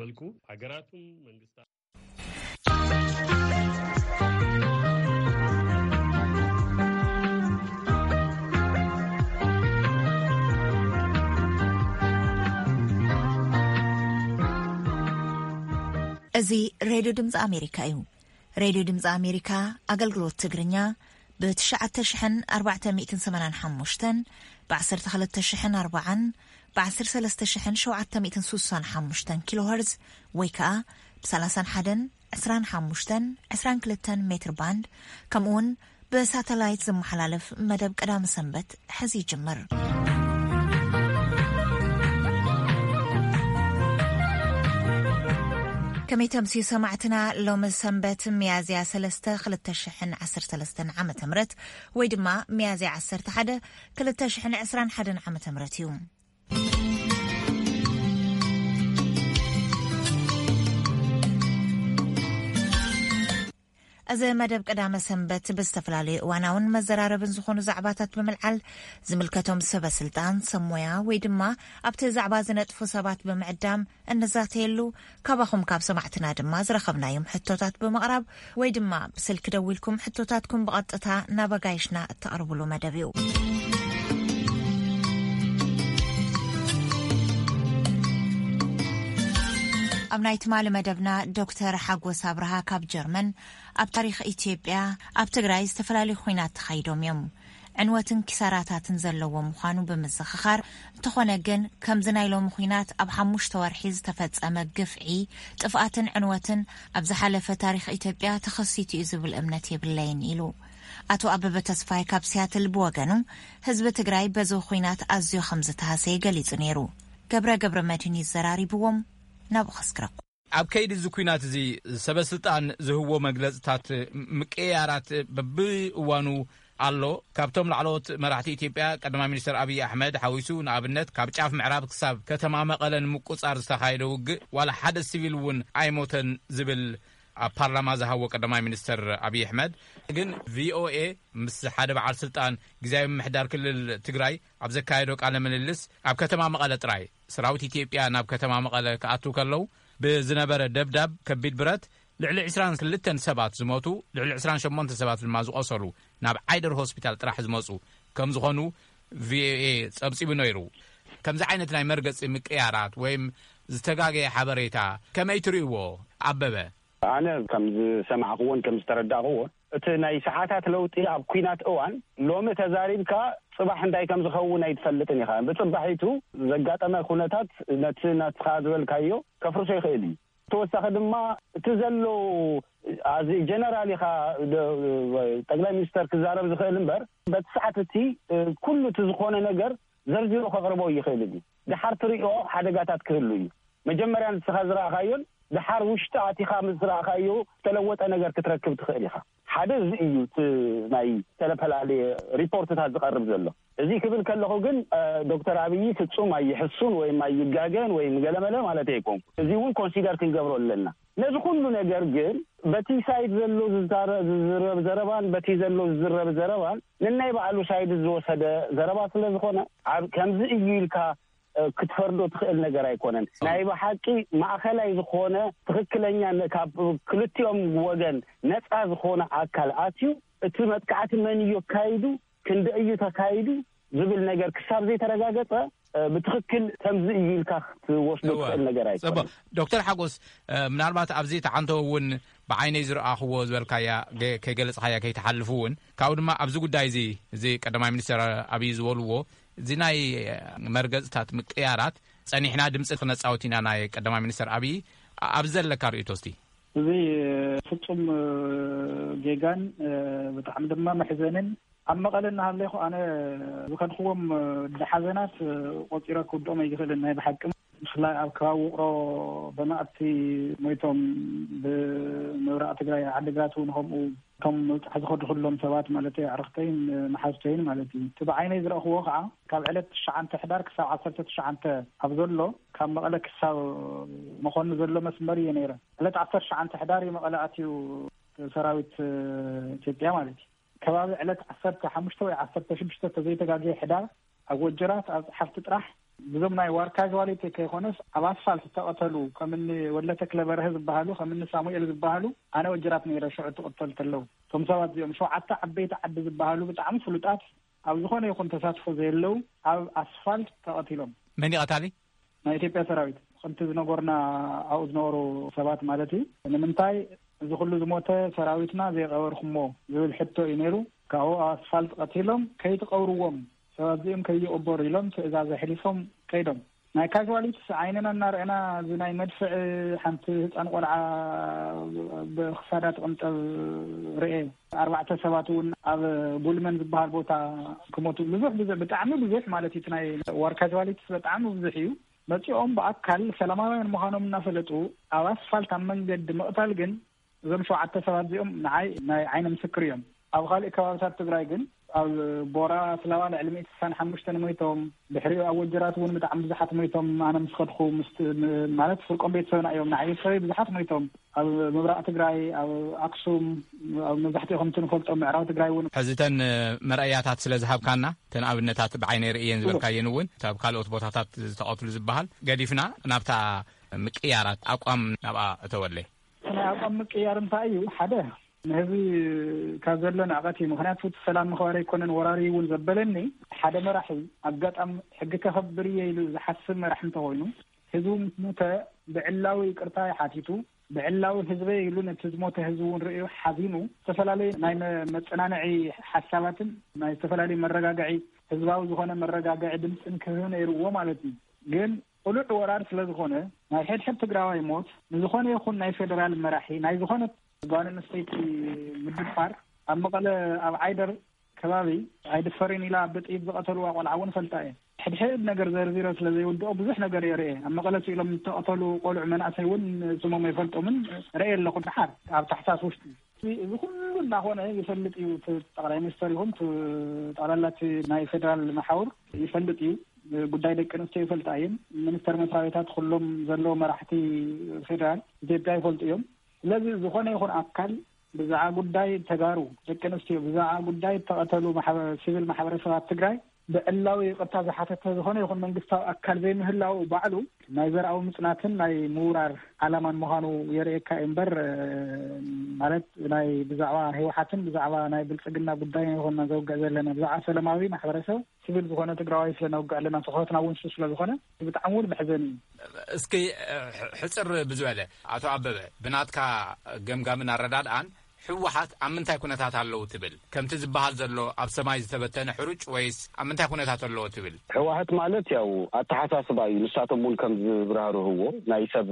መልኩ ሃገራቱን መንግስታት እዚ ሬድዮ ድምፂ ኣሜሪካ እዩ። ሬድዮ ድምፂ ኣሜሪካ ኣገልግሎት ትግርኛ ብ ትሽዓተ ሽሕን ኣርባዕተ ሚእትን ሰማንያን ሓሙሽተን፣ ብ ዓሰርተ ክልተ ሽሕን ኣርባዓን፣ ብ ዓሰርተ ሰለስተ ሽሕን ሸውዓተ ሚእትን ስሳን ሓሙሽተን ኪሎ ሄርዝ ወይ ከኣ ብ ሰላሳን ሓደን፣ ዕስራን ሓሙሽተን፣ ዕስራን ክልተን ሜትር ባንድ፣ ከምኡውን ብሳተላይት ዝመሓላለፍ መደብ ቀዳመ ሰንበት ሕዚ ይጅምር። ከመይ ተምስዩ ሰማዕትና፣ ሎሚ ሰንበት ሚያዝያ ሰለስተ ክልተ ሽሕን ዓሰርተ ሰለስተን ዓመተ ምህረት ወይ ድማ ሚያዝያ ዓሰርተ ሓደ ክልተ ሽሕን ዕስራን ሓደን ዓመተ ምህረት እዩ። እዚ መደብ ቀዳመ ሰንበት ብዝተፈላለዩ እዋናውን መዘራረብን ዝኾኑ ዛዕባታት ብምልዓል ዝምልከቶም ሰበ ስልጣን፣ ሰብ ሞያ ወይ ድማ ኣብቲ ዛዕባ ዝነጥፉ ሰባት ብምዕዳም እንዛተየሉ፣ ካባኹም ካብ ሰማዕትና ድማ ዝረኸብናዮም ሕቶታት ብምቕራብ ወይ ድማ ብስልኪ ደዊልኩም ሕቶታትኩም ብቐጥታ ናብ ኣጋይሽና እተቕርብሉ መደብ እዩ። ኣብ ናይ ትማሊ መደብና ዶክተር ሓጎስ ኣብርሃ ካብ ጀርመን ኣብ ታሪኽ ኢትዮጵያ ኣብ ትግራይ ዝተፈላለዩ ኹናት ተኻይዶም እዮም። ዕንወትን ኪሳራታትን ዘለዎ ምዃኑ ብምዝኽኻር፣ እንተኾነ ግን ከምዚ ናይ ሎሚ ኹናት ኣብ ሓሙሽተ ወርሒ ዝተፈጸመ ግፍዒ፣ ጥፍኣትን ዕንወትን ኣብ ዝሓለፈ ታሪኽ ኢትዮጵያ ተኸሲቱ እዩ ዝብል እምነት የብለይን ኢሉ። ኣቶ ኣበበ ተስፋይ ካብ ሲያትል ብወገኑ፣ ህዝቢ ትግራይ በዚ ኹናት ኣዝዮ ከም ዝተሃሰየ ገሊጹ ነይሩ። ገብረ ገብረ መድህን እዩ ዘራሪብዎም። ናብኡ ከስግረኩም። ኣብ ከይዲ እዚ ኲናት እዚ ሰበ ስልጣን ዝህቦ መግለጽታት ምቅያራት በብእዋኑ ኣሎ። ካብቶም ላዕለዎት መራሕቲ ኢትዮጵያ ቀዳማይ ሚኒስተር ኣብይ ኣሕመድ ሓዊሱ፣ ንኣብነት ካብ ጫፍ ምዕራብ ክሳብ ከተማ መቐለ ንምቁጻር ዝተኻየደ ውግእ ዋላ ሓደ ሲቪል እውን ኣይሞተን ዝብል ኣብ ፓርላማ ዝሃቦ ቀዳማይ ሚኒስተር ኣብይ ኣሕመድ ግን ቪኦኤ ምስ ሓደ በዓል ስልጣን ግዝያዊ ምምሕዳር ክልል ትግራይ ኣብ ዘካየዶ ቃለ ምልልስ ኣብ ከተማ መቐለ ጥራይ ሰራዊት ኢትዮጵያ ናብ ከተማ መቐለ ክኣትው ከለዉ ብዝነበረ ደብዳብ ከቢድ ብረት ልዕሊ ዕስራን ክልተን ሰባት ዝሞቱ፣ ልዕሊ ዕስራን ሸሞንተ ሰባት ድማ ዝቖሰሉ፣ ናብ ዓይደር ሆስፒታል ጥራሕ ዝመጹ ከም ዝኾኑ ቪኦኤ ጸብጺቡ ነይሩ። ከምዚ ዓይነት ናይ መርገጺ ምቅያራት ወይም ዝተጋገየ ሓበሬታ ከመይ ትርእይዎ? ኣበበ። ኣነ ከም ዝሰማዕክዎን ከም ዝተረዳእክዎን፣ እቲ ናይ ሰዓታት ለውጢ ኣብ ኲናት እዋን፣ ሎሚ ተዛሪብካ ጽባሕ እንታይ ከም ዝኸውን ኣይትፈልጥን ኢኻ። ብጽባሒቱ ዘጋጠመ ኩነታት ነቲ ናትኻ ዝበልካዮ ከፍርሶ ይኽእል እዩ። ተወሳኺ ድማ እቲ ዘሎ ኣዚ ጀነራል ኢኻ ደ-፣ ጠቅላይ ሚኒስተር ክዛረብ ዝኽእል እምበር፣ በቲ ሰዓት እቲ፣ እ፣ ኩሉ እቲ ዝኾነ ነገር ዘርዚሩ ከቕርቦ ይኽእል እዩ። ደሓር ትሪኦ ሓደጋታት ክህሉ እዩ። መጀመርያ ንስኻ ዝረኣኻዮን ደሓር ውሽጢ ኣቲኻ ምስ ረኣኻዮ ዝተለወጠ ነገር ክትረክብ ትኽእል ኢኻ። ሓደ እዚ እዩ እቲ ናይ ዝተፈላለየ ሪፖርትታት ዝቐርብ ዘሎ። እዚ ክብል ከለኹ ግን፣ እ፣ ዶክተር ኣብይ ፍጹም ኣይሕሱን ወይም ኣይጋገን ወይም ገለመለ ማለት ኣይኮንኩ። እዚ እውን ኮንሲደር ክንገብሮ ኣለና። ነዚ ኩሉ ነገር ግን በቲ ሳይድ ዘሎ ዝዛረ-፣ ዝዝረብ ዘረባን በቲ ዘሎ ዝዝረብ ዘረባን ንናይ ባዕሉ ሳይድ ዝወሰደ ዘረባ ስለ ዝኾነ፣ ኣብ ከምዚ እዩ ኢልካ፣ እ፣ ክትፈርዶ ትኽእል ነገር ኣይኮነን። ናይ ብሓቂ ማእኸላይ ዝኾነ ትኽክለኛ ነ-፣ ካብ ክልቲኦም ወገን ነፃ ዝኾነ ኣካል ኣትዩ እቲ መጥቃዕቲ መን እዩ ኣካይዱ፣ ክንደይ እዩ ተካይዱ ዝብል ነገር ክሳብ ዘይተረጋገጸ፣ እ፣ ብትኽክል ከምዚ እዩ ኢልካ ክትወስዶ እወ። ትኽእል ነገር ኣይኮነን። ጽቡቕ። ዶክተር ሓጎስ፣ እ፣ ምናልባት ኣብዚ ተዓንቶ እውን ብዓይነይ ዝረኣኽዎ ዝበልካያ ገ-፣ ከይገለጽኻያ ከይትሓልፍ እውን፣ ካብኡ ድማ ኣብዚ ጉዳይ እዚ፣ እዚ ቀዳማይ ሚኒስትር ኣብይ ዝበልዎ፣ እዚ ናይ መርገጽታት ምቅያራት ጸኒሕና ድምጺ ክነጻወት ኢና ናይ ቀዳማይ ሚኒስትር ኣብይ፣ ኣ-፣ ኣብዚ ዘለካ ርእይቶ እስቲ? እዚ ፍጹም፣ እ፣ ጌጋን፣ እ፣ ብጣዕሚ ድማ መሕዘንን። ኣብ መቐለ እናሃለኹ ኣነ ዝኸድክዎም፣ እ፣ ሓዘናት፣ እ፣ ቆጺረ ክውድኦም ኣይክእልን። ናይ ብሓቂ ብፍላይ ኣብ ከባቢ ውቕሮ በማእቲ ሞይቶም፣ ብምብራቕ ትግራይ ዓዲግራት እውን ከምኡ፣ እቶም ምብጻሕ ዝኸዱ ኩሎም ሰባት ማለት እዩ፣ ኣዕርኽተይን መሓዙተይን ማለት እዩ። እቲ ብዓይነይ ዝረእኽዎ ከዓ ካብ ዕለት ትሽዓተ ሕዳር ክሳብ ዓሰርተ ትሽዓተ ኣብ ዘሎ፣ ካብ መቐለ ክሳብ መኾኒ ዘሎ መስመር እየ ነይረ። ዕለት ዓሰርተ ትሽዓተ ሕዳር እዩ መቐለ ኣትዩ ሰራዊት፣ እ፣ ኢትዮጵያ ማለት እዩ። ከባቢ ዕለት ዓሰርተ ሓሙሽተ ወይ ዓሰርተ ሽዱሽተ ተዘይተጋግየ ሕዳር ኣብ ወጀራት ኣብ ጸሓፍቲ ጥራሕ ብዞም ናይ ዋር ካዋሊቲ ከይኮነስ ኣብ ኣስፋልት ዝተቐተሉ ከምኒ ወለተ ክለበርሀ ዝበሃሉ ከምኒ ሳሙኤል ዝበሃሉ ኣነ ወጅራት ነይረ ሽዑ ትቕተል ተለው እቶም ሰባት እዚኦም ሸውዓተ ዓበይቲ ዓዲ ዝበሃሉ ብጣዕሚ ፍሉጣት ኣብ ዝኾነ ይኹን ተሳትፎ ዘየለው ኣብ ኣስፋልት ተቐቲሎም። መን ይቐታሊ? ናይ ኢትዮጵያ ሰራዊት ከምቲ ዝነገሩና ኣብኡ ዝነበሩ ሰባት ማለት እዩ። ንምንታይ እዚ ኩሉ ዝሞተ ሰራዊትና ዘይቀበርኩሞ ዝብል ሕቶ እዩ ነይሩ። ካብኡ ኣብ ኣስፋልት ቀቲሎም ከይትቀብርዎም ሰባት እዚኦም ከይቀበሩ ኢሎም ትእዛዝ ኣሕሊፎም ከይዶም። ናይ ካዋሊቲስ ዓይንና እናረኣና እዚ ናይ መድፍዕ ሓንቲ ህፃን ቆልዓ ብክሳዳ ትቕንጠብ ርኤ። ኣርባዕተ ሰባት እውን ኣብ ጉልመን ዝበሃል ቦታ ክሞቱ ብዙሕ ብዙሕ ብጣዕሚ ብዙሕ ማለት እዩ። እቲ ናይ ዋር ካዋሊቲስ ብጣዕሚ ብዙሕ እዩ። መፂኦም ብኣካል ሰላማውያን ምዃኖም እናፈለጡ ኣብ ኣስፋልት ኣብ መንገዲ ምቕታል ግን እዞም ሸውዓተ ሰባት እዚኦም ንዓይ ናይ ዓይኒ ምስክር እዮም። ኣብ ካልእ ከባብታት ትግራይ ግን ኣብ ቦራ ስላባ ልዕሊ ሚእቲ ስሳን ሓሙሽተን ሞይቶም፣ ድሕሪኡ ኣብ ወጀራት እውን ብጣዕሚ ብዙሓት ሞይቶም። ኣነ ምስ ከድኩ ምስ ማለት ፍርቆም ቤተሰብና እዮም። ንዓይ ቤተሰበይ ብዙሓት ሞይቶም። ኣብ ምብራቕ ትግራይ፣ ኣብ ኣክሱም፣ ኣብ መብዛሕትኡ ከምቲ ንፈልጦ ምዕራብ ትግራይ እውን። ሕዚ እተን መርኣያታት ስለ ዝሃብካና፣ እተን ኣብነታት ብዓይነይ ርእየን ዝበልካየን እውን፣ እታ ኣብ ካልኦት ቦታታት ዝተቐትሉ ዝበሃል ገዲፍና፣ ናብታ ምቅያራት ኣቋም ናብኣ እተወለይ። ናይ ኣቋም ምቅያር እንታይ እዩ? ሓደ ንህዝቢ ካብ ዘሎ ንዕቀት እዩ። ምክንያቱ እቲ ሰላም ምኽባር ኣይኮነን ወራሪ እውን ዘበለኒ ሓደ መራሒ ኣጋጣሚ ሕጊ ከኸብር እየ ኢሉ ዝሓስብ መራሒ እንተኮይኑ ህዝቡ ምስ ሞተ ብዕላዊ ይቅርታ ይሓቲቱ ብዕላዊ ህዝበ ኢሉ ነቲ ዝሞተ ህዝቢ እውን ርእዩ ሓዚኑ ዝተፈላለዩ ናይ መ- መጸናንዒ ሓሳባትን ናይ ዝተፈላለዩ መረጋግዒ ህዝባዊ ዝኾነ መረጋግዒ ድምፅን ክህብ ነይርዎ ማለት እዩ። ግን ቅሉዕ ወራር ስለ ዝኾነ ናይ ሕድሕድ ትግራዋይ ሞት ንዝኾነ ይኹን ናይ ፌደራል መራሒ ናይ ዝኾነ ጓል ኣንስተይቲ ምድፋር ኣብ መቐለ ኣብ ዓይደር ከባቢ ኣይድፈርን ኢላ ብጥይት ዝቐተልዋ ቆልዓ እውን ፈልጣ እየ። ሕድሕድ ነገር ዘርዚረ ስለ ዘይውድኦ ብዙሕ ነገር እየ ርእየ። ኣብ መቐለ ስኢሎም ዝተቐተሉ ቆልዑ መናእሰይ እውን ስሞም ኣይፈልጦምን ርእየ ኣለኹ። ድሓር ኣብ ታሕሳስ ውሽጢ እዚ ኩሉ እናኾነ ይፈልጥ እዩ። እቲ ጠቕላይ ሚኒስተር ይኹን እቲ ጠቕላላ እቲ ናይ ፌደራል መሓውር ይፈልጥ እዩ። ጉዳይ ደቂ ኣንስትዮ ይፈልጣ እየን። ሚኒስተር መስሪያ ቤታት ኩሎም ዘለዉ መራሕቲ ፌደራል ኢትዮጵያ ይፈልጡ እዮም። ስለዚ ዝኾነ ይኹን ኣካል ብዛዕባ ጉዳይ ተጋሩ ደቂ ኣንስትዮ ብዛዕባ ጉዳይ እተቐተሉ ማሕበ- ሲቪል ማሕበረሰባት ትግራይ ብዕላዊ ይቕርታ ዝሓተተ ዝኾነ ይኹን መንግስታዊ ኣካል ዘይምህላው ባዕሉ ናይ ዘርኣዊ ምጽናትን ናይ ምውራር ዓላማን ምዃኑ የርእየካ እዩ እምበር ማለት ናይ ብዛዕባ ህወሓትን ብዛዕባ ናይ ብልጽግና ጉዳይ ይኹን ዘውግዕ ዘለና ብዛዕባ ሰላማዊ ማሕበረሰብ ሲቪል ዝኾነ ትግራዋይ ስለ ነውግዕ ኣለና ትኹረትና እውን እሱ ስለ ዝኾነ ብጣዕሚ እውን መሕዘኒ እዩ። እስኪ ሕፅር ብዝበለ ኣቶ ኣበበ ብናትካ ገምጋምን ኣረዳድኣን ህወሓት ኣብ ምንታይ ኩነታት ኣለዉ ትብል? ከምቲ ዝበሃል ዘሎ ኣብ ሰማይ ዝተበተነ ሕሩጭ ወይስ ኣብ ምንታይ ኩነታት ኣለዎ ትብል? ህወሓት ማለት ያው ኣተሓሳስባ እዩ። ንሳቶም እውን ከም ዝብራህርህዎ ናይ ሰብ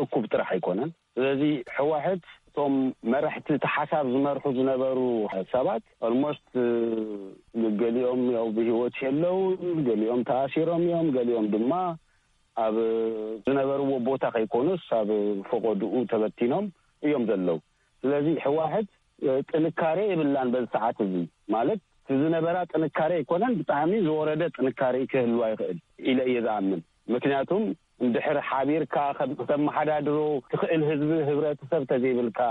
እኩብ ጥራሕ ኣይኮነን። ስለዚ ህወሓት እቶም መራሕቲ እቲ ሓሳብ ዝመርሑ ዝነበሩ ሰባት ኦልሞስት ገሊኦም ያው ብህይወት የለውን፣ ገሊኦም ተኣሲሮም እዮም፣ ገሊኦም ድማ ኣብ ዝነበርዎ ቦታ ከይኮኑስ ኣብ ፈቆድኡ ተበቲኖም እዮም ዘለዉ። ስለዚ ህወሓት ጥንካሬ የብላን በዚ ሰዓት እዚ ማለት እቲ ዝነበራ ጥንካሬ ኣይኮነን፣ ብጣዕሚ ዝወረደ ጥንካሬ ክህልዋ ይኽእል ኢለ እየ ዝኣምን። ምክንያቱም እንድሕር ሓቢርካ ከም- ከተመሓዳድሮ ትኽእል ህዝቢ ህብረተሰብ ተዘይብልካ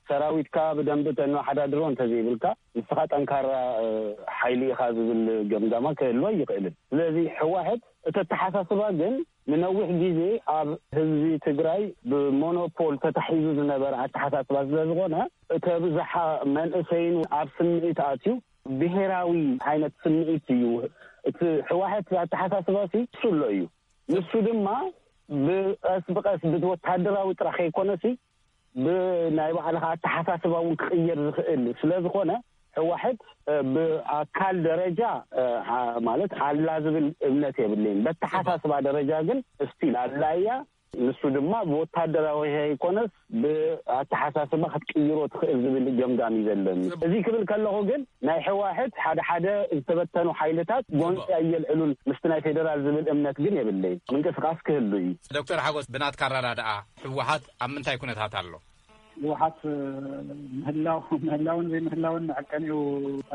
ሰራዊትካ ብደንቢ ተነሓዳድሮ እንተዘይብልካ ንስኻ ጠንካራ ሓይሊ ኢኻ ዝብል ገምጋማ ክህልዋ ይኽእልን። ስለዚ ህወሓት እቲ ኣተሓሳስባ ግን ንነዊሕ ግዜ ኣብ ህዝቢ ትግራይ ብሞኖፖል ተታሒዙ ዝነበረ ኣተሓሳስባ ስለ ዝኾነ እቲ ብዝሓ መንእሰይን ኣብ ስምዒት ኣትዩ ብሄራዊ ዓይነት ስምዒት እዩ። እቲ ህወሓት ኣተሓሳስባ ሲ እሱ ኣሎ እዩ። ንሱ ድማ ብቐስ ብቐስ ብወታደራዊ ጥራሕ ከይኮነሲ ብናይ ባዕልኻ ኣተሓሳስባ እውን ክቕየር ዝኽእል ስለ ዝኾነ ህወሓት ብኣካል ደረጃ ማለት ኣላ ዝብል እምነት የብለይን። በተሓሳስባ ደረጃ ግን እስቲል ኣላ እያ። ንሱ ድማ ብወታደራዊ ከይኮነስ ብኣተሓሳስባ ክትቅይሮ ትኽእል ዝብል ገምጋም እዩ ዘለኒ። እዚ ክብል ከለኹ ግን ናይ ህወሓት ሓደ ሓደ ዝተበተኑ ሓይልታት ጎንፂ ኣየልዕሉን ምስቲ ናይ ፌደራል ዝብል እምነት ግን የብለይን። ምንቅስቃስ ክህሉ እዩ። ዶክተር ሓጎስ ብናትካ ኣረዳድኣ ህወሓት ኣብ ምንታይ ኩነታት ኣሎ? ህወሓት ምህላው ምህላውን ዘይምህላውን መዐቀኒኡ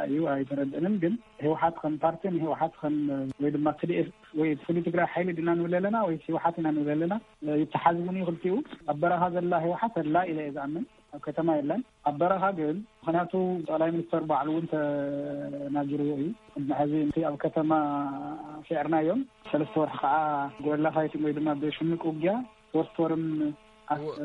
እዩ ኣይተረድእንን። ግን ህወሓት ከም ፓርቲ ንህወሓት ከም ወይ ድማ ትዲኤፍ ወይ ፍሉይ ትግራይ ሓይሊ ድና ንብል ኣለና ወይ ህወሓት ኢና ንብል ኣለና ይተሓዝቡን እዩ። ክልቲኡ ኣብ በረኻ ዘላ ህወሓት ኣላ ኢለ እየ ዝኣምን። ኣብ ከተማ የለን። ኣብ በረኻ ግን፣ ምኽንያቱ ጠቕላይ ሚኒስተር ባዕሉ እውን ተናጊርዎ እዩ። ቅድሚ ሕዚ እቲ ኣብ ከተማ ስዒርናዮም፣ ሰለስተ ወርሒ ከዓ ጎላ ፋይቲንግ ወይ ድማ ብሽምቅ ውጊያ ሶስት ወርም ኣስ-